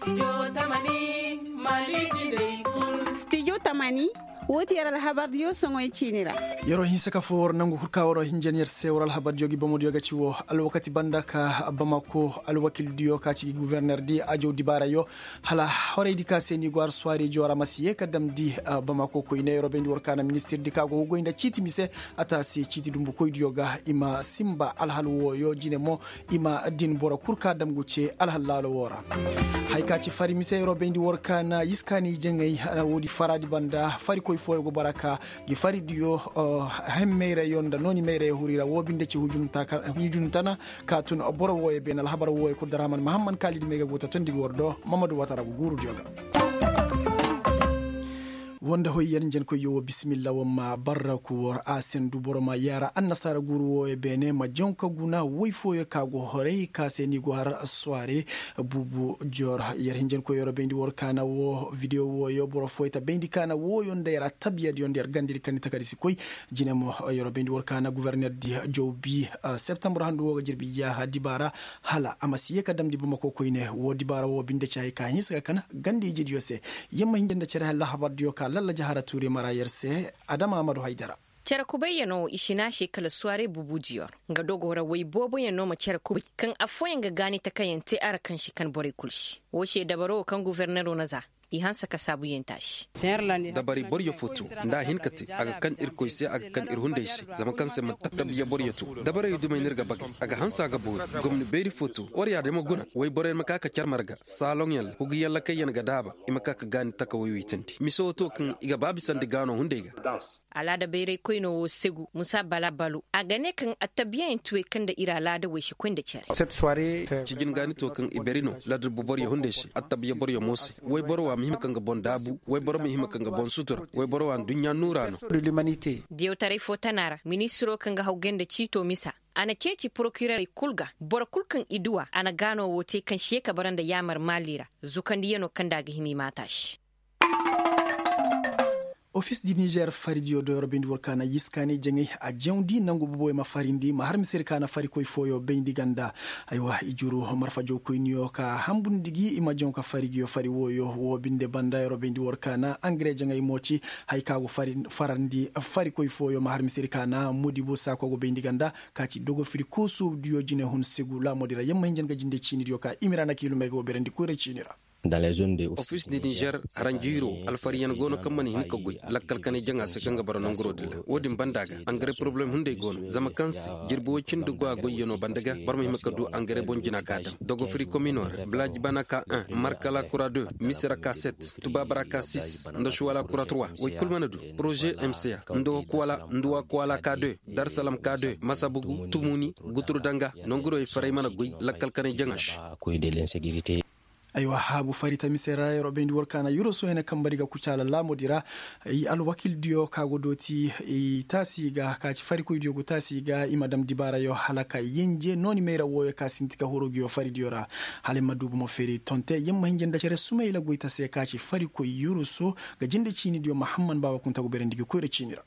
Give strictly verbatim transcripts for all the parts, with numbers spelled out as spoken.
Studio tamani. Woo ti yer alhabardiyo soŋoy ciini ra. Yeroo hinsa ka foo war nangu kul ka waroo hinjan yer se war alhabardiyo gi bomodiyo ga ci woo alwakati banda ka bamako alwakildiyo ka ci gi guvernerdi ajow dibaarayo. Hala horaydi ka se ni go har suwaarijo ra ma si yee ka damndi bamako koyne yeroo bayndi war ka na ministirdi ka go hugoy nda ciiti mise. A taasi ciiti dumbukoydiyo ga i ma sinba alhal wooyo jine mo. I ma din boro kul ka dam go cee alhal laalo woo ra. Hay ka ci fari mise yeroo bayndi war ka na yiskaani jaŋay woodi faraadi banda farikoy fooyo go bara ka gi faridiyo. Hem mayrayo nda nooni mayrayo huri ra woo binde ci hujunta ka tun boro wooyo beene alhabar wooyo kul darhaman mahamman kaalidi may ga go ta tondi gi war do. Mamadu waata ra go guurudiyo ga. Woo nda hoy yer njenkoyyo woo bisimilla war ma barraku war a sendu boro ma yaara annasaara guuru wooyo beene ma jaŋ ka guna woy fooyo ka go horay ka se ni go har suwaare. Buubu joor yer hinjankoy yer bayndi war ka na woo videwo wooyo boro fooyo ta bayndi ka na wooyo nda yer attabiya diyo nda yer gandedi ka ni takadi si koy. Jine mo yer bayndi war ka na guvernerdi jawbi septambur handu woo ga jirbi yaaha dibaara. Hala a ma si yee ka damndi bamako koyne woo dibaara woo binde ci hay ka hinsa ka kan ganda ijediyo se. Yer ma hinja nda cere halla habardiyo ka lalla jahara tuuri mara yer se. Adama amadu haydara. Cere kubayyanoo wo i si ne a se kala suwaarey bubudiyo ra nga dogoo ra woy booboyanoo ma cere kubay kaŋ affooyaŋ ga gaani takayaŋ te a ra kaŋ si kan borey kul se. Woo se dabaroo wo kaŋ guforneroo na za i hanse ka saabuyaŋ te a se. Dabari boryo fo to nda a hin ka te a ga kan irkoy se a ga kan ir hunday se. Zama kaŋ se manti attabiya boryo to dabarey dumey no ir ga bagay a ga hanse a ga boori. Gomni beeri fo to war yaadin ma guna woy boroyaŋ ma ka ka car marga saaloŋyaŋ ra huguyaŋ lakayyaŋ ga daaba. I ma ka ka gaani taka woy woy tandi mise wo to kaŋ i ga ba bisandi gaano hunday ga. Alaada bayray koynoo wo segu musa bala balo a ga ne kaŋ attabiyayaŋ ti wey kaŋ nda ir alaada wey si koy nda cere. Cijin gaani to kaŋ i bari no ladar boboryo hunday se attabiya boryo mo se. Woyboro wa ma hima kaŋ ga boŋ daabu woyboro ma hima kaŋ ga boŋ sutura. Woyboro wa nduɲɲa nuura no. Diyawtaray fo tana ra ministiroo kaŋ ga hawgay nda ciito misa a na ceeci porokirerey kul ga boro kul kaŋ i duw'a a na gaanoo woo te kaŋ si yee ka bara nda yaamar maali ra. Zukandiyanoo kaŋ nda a ga hima i maata se. Ofis di nizer faridiyo doyro bayndi war ka na yiskaani jaŋay a jawndi nangu boboyo ma farindi ma har misir ka na farikoy fooyo bayndi ganda. Aywa i juru marfa jawkoyniyo ka hambundi gi i ma jaŋ ka fari giyo fari wooyo woo binde banda yeroo bayndi war ka na angare jaŋay mo ci. Hay ka go farandi farikoy fooyo ma har misir ka na modibo saako go bayndi ganda ka ci dogofiri koosudiyo jine hun segu laamodi ra yamma hinjan ga jinde ciinidiyo ka imira na kiilumey go berandi koyra ciini ra. Ofis de nizer haranjiiro alfariyaŋ go no kaŋ mana hin ka goy lakkal kanay jaŋa se kaŋ ga bara nanguroo din ra wo-din banda ga angare porobalem hunday go no zama kaŋ se jirbi woy cindi go a goyyanoo banda ga boro ma hima ka du angare boŋ jina ka daŋ dogofiri komino ra bilaaji bana ka un markala kura de misira ka set tubaabara ka sis nda suwala kura trois woy kul mana du poroze mca nduwa kuwala ka de darsalam ka de masabugu tumuni guturu danga nanguroo i faray mana goy lakkal kanay jaŋa se. Aywa haabu fari ta mise ra yeroo bayndi war ka na yuro sohene kambari ga kucaala laamodi ra. Alwakildiyo ka go dooti i taasi ga ka ci farikoydiyo go taasi ga i ma dam dibaarayo hala ka yenje nooni mayra wooyo ka sinti ka huru giyo faridiyo ra. Hala i ma duubu ma feeri tonte yer ma hinja nda cere sumayla goyta se ka ci farikoy yuro so ga jinde ciinidiyo mahamman baaba kunta go berandi gi koyra ciini ra.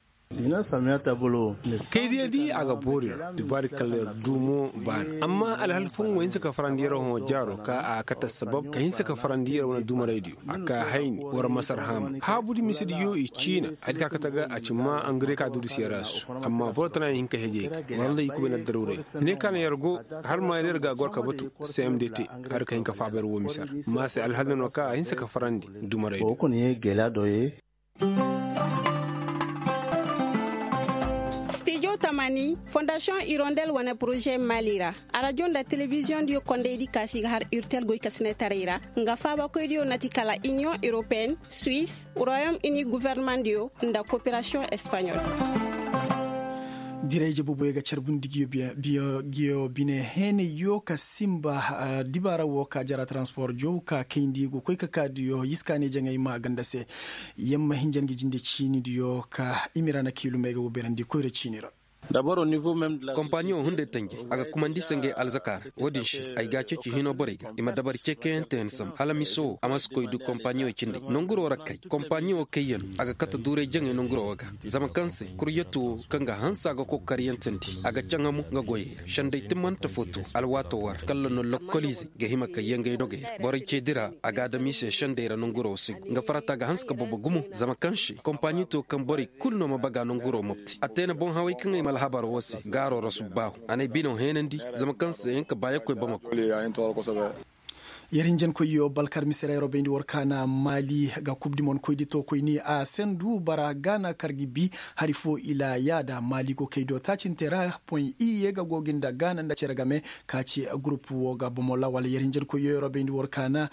Kaydiyo di a ga boori ra dibaari kala yer duumo baana amma alhal fooyaŋ wo hinsa ka farandi yer hõ jaaro ka a kate assabab ka hinsa ka farandi yer wane duumaraydiyo a ka hayni war masar haama haabudi misediyo i ciina hari ka kate ga a ci maa angare ka durus yer a su. Amma boro tana yer hin ka hejey ga war lay i kubay na daruuray ne ka na yer go har ma yer ga goro ka batu cmdt hari ka hin ka faaba yer wo misar ma se alhal na no ka a hinsa ka farandi duumaraydiyo. Stijo tamani fondasiyoŋ irondel wane poroze mali ra arajo nda telebiziyoŋ diyo kondaydi kaasi ga har irtel goy kasinetaray ra nga faabakoydiyo na ti kala iniyoŋ europeen suwis royom ini governemandiyo nda koperasiyoŋ espaɲol. Dirayje boboyo ga carbundi giyo bine heenayyo ka simba dibaara wo ka jara transpor jow ka kayndi go koy ka kaadiyo yiskaani jaŋay ma ganda se. Yamma hinjan ga jinde ciinidiyo ka imira na kiilumey ga wo beerandi koyra ciini ra. Kompaniyo hunday tanji a ga kumandi i se ngey alzaka ra. Wo-din se ay ga a ceeci hino borey ga i ma dabari ceekayante yaŋ sambu hala miso wo a ma si koy du kompaniyo cindi nonguro ra kay kompaniyo kayyaŋ a ga kate duuray jaŋay nonguro wo ga. Zama kaŋ se kuryatu wo kaŋ ga hanse a ga kokariyantandi a ga caŋamu nga goyey ra senday timmante fo to alwaato wo ra kalla no lokkoliizey ga hima ka yee ngey dogey ra borey ceedi ra a ga a dam i se senday ra nonguro wo si go nga farata ga hanse ka bobo gumo zama kaŋ se kompani to kaŋ borey kulu no ma baga nonguro mopti a te na boŋ haway kaŋ ay ma alhabar wo se gaaro ra subbaahu a n'ay bino heenandi. Zama kaŋ se ay hin ka baayakoy bamako. Yer hinjankoyyo balkar mise ra yer wo bayndi war kaana maali ga kub di mon koy di to koy ni a sendu bara gaana kar gi bi hari fo ila yaada maali go kay do taacinte ra poy iye ga go gi nda gaana nda cere game ka ci gurup wo ga bomo lawal yer hinjankoyyo yer wo bayndi war kaana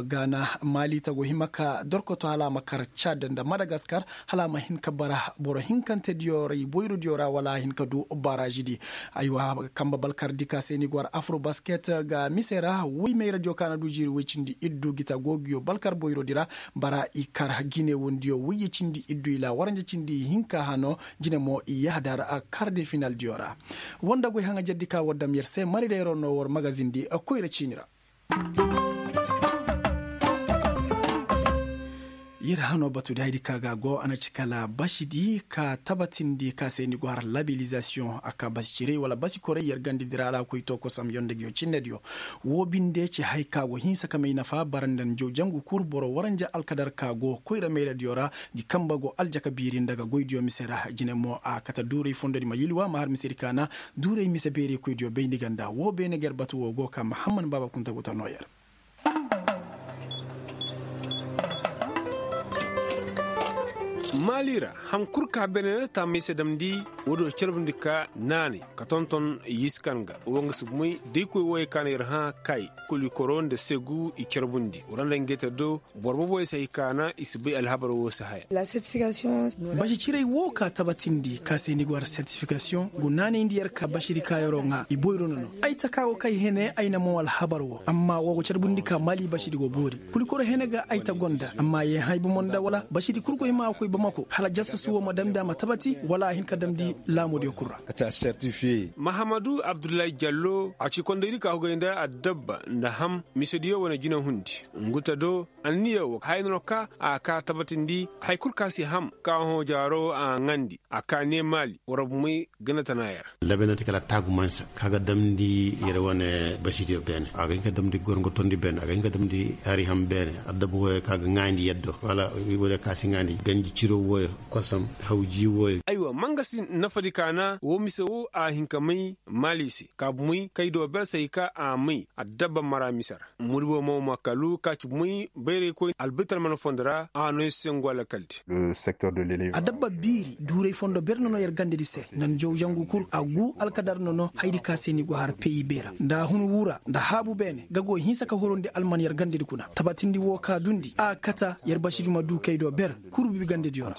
gaana maali ta go hima ka dorkoto hala a ma kar cad nda madagaskar hala a ma hin ka bara boro hinkante diyo ra i boyro diyo ra wala a hin ka du baraazi di. Aywa kamba balkar di ka se ni go war afro basket ga mise ra woy mayra diyo ka na du jiiri woy cindi iddu gita gogiyo balkar boyro di ra bara i kar gine wondiyo woyye cindi iddu i laawaranja cindi i hinka hano jine mo i yahda ra kar de final diyo ra. Wonda goy haŋa jardi ka war dam yer se mari da yer no war magazin di koyra ciini ra. Yer hano batu di haydi ka ga go a na ci kala basidi ka tabatindi ka se ni go har labelizasiyoŋ a ka basi ciray wala basi koray yer gandi di ra alaakoy to kosam yonda giyo cinne diyo. Wo binde ci hay ka go hinsa ka may nafa bara nda njaw jangu kul boro waranja alkadar ka go koyra mayra diyo ra. Gi kamba go aljaka biiri nda ga goy diyo mise ra jine mo a kate duuray fondo di ma yilwa ma har mise di ka na duuray mise beerey koy diyo bayndi ganda wo beene ga yer batu wo go ka mahamman baaba kunta go ta noo yer. Maali ra ham kul ka beene taamay se damndi. Wo-din carbundi ka naanay ka tonton yiskan ga wo nga si bumay da i koy wooyey ka na yer hã kay kulikoro nda segu i carbundi wala nda ngey te do boro boboyey se hay ka na i si bay alhabar wo se haya. Basi ciray wo ka tabatindi ka se ni go war sertifikasiyoŋ go naanayndi yer ka basidi ka yeroo ŋaa i boyro no no. Ay taka go kay hene ay na moŋ alhabar wo amma wo go carbundi ka maali basidi go boori. Kulikoro hene ga ay ta gonda amma yee hã ay bomo nda wala basidi kul go hima a koy bamako hala jasasu wo ma damndi a ma tabati wala a hin ka damndi laamodiyo kul ra. Mahamadu abdullahi jallo a ci kondaydi ka hugay nda addabba nda ham misediyo wane jinahundi. Ngu ta do anniya wo haya no ka a ka tabatindi haya kul ka si ham ka hõ jaaro a ŋaandi a ka ne maali war bumey ganda tana yer. Labenante kala taagu mansa ka ga damndi yer wane basidiyo beene a ga hin ka damndi gorŋo tondi beene a ga hin ka damndi hari ham beene addabba wooyo ka ga ŋaandi yaddo wala wooyo ka si ŋaandi ganji ciro wooyo kosam hawji wooyo. Aywa mangasi nafadi ka na wo mise wo a hin ka may maali se ka bumey kay do ber se hay ka a may addabba mara mise ra. Muribo mo ma kalu ka ci bumey bayraykoy albitar mana fondo ra a no yer se ngo alakal di. Addabba biiri duuray fondo ber no no yer gandadi se nda njaw jangu kul a gu alkadar no no haydi ka se ni go har peyibey ra nda hun wura nda haabu beene ga go hinsa ka horondi alman yer gandadi kuna tabatindi wo ka dundi a kata yer basidi ma du kay do ber kurbi gandadiyo ra.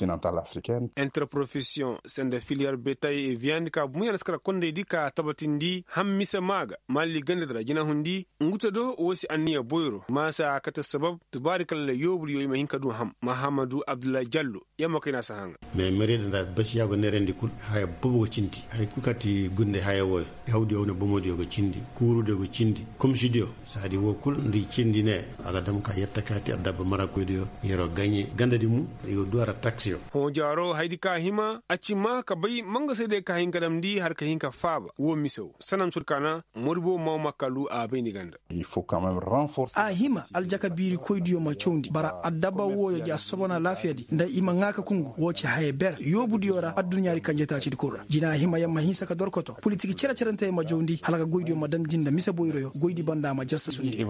Interprofesiyoŋ sanda filiyar betay e viyandi ka bumey alskara kondaydi ka tabatindi ham mise maa ga maali gandadi ra jinahundi. Ngu ta do wo si anniya boyro maasa a kate sabab tubaari kala yoobudiyo i ma hin ka du ham mahamadu abdullahi jallo. Yamma kay na si haŋa. Mais meriyada nda basiya go neerandi kul haya boobo ga cindi haya kul kaŋ ti gunday haya wooyo. Hawdiyo wane bomodiyo ga cindi kuurudiyo ga cindi komisidiyo saadi wo kul nda i cindi ne a ga dam ka yetta kaati addabba marakoydiyo. Yeroo gaɲe gandadi mu i go du a ra taksiyo. Hõ jaaro haydi ka hima a ci maa ka bay mangasaydiyo ka hin ka damndi har ka hin ka faaba wo mise wo sanam sur ka na moribo maw ma kalu a bayndi ganda. A hima aljaka biirikoydiyo ma cawndi bara addabba wooyo ja sobona laafiyadi nda i ma ŋaa ka kungu woo ci haya ber yoobudiyo ra adduɲaadi kanjetaacidi kul ra jina hima yer ma hinsa ka dorkoto politik cere-cerentey ma jawndi hala ka goydiyo ma damndi nda mise boyroyo goydi banda ma jastasundi.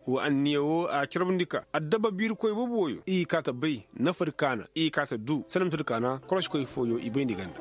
Woo anniya woo a carbundi ka addabba biirikoy boobo wooyo i kaa ta bay nafadi kaana i kaa ta duu sanamtadi kaana korosikoy fooyo i bayndi ganda.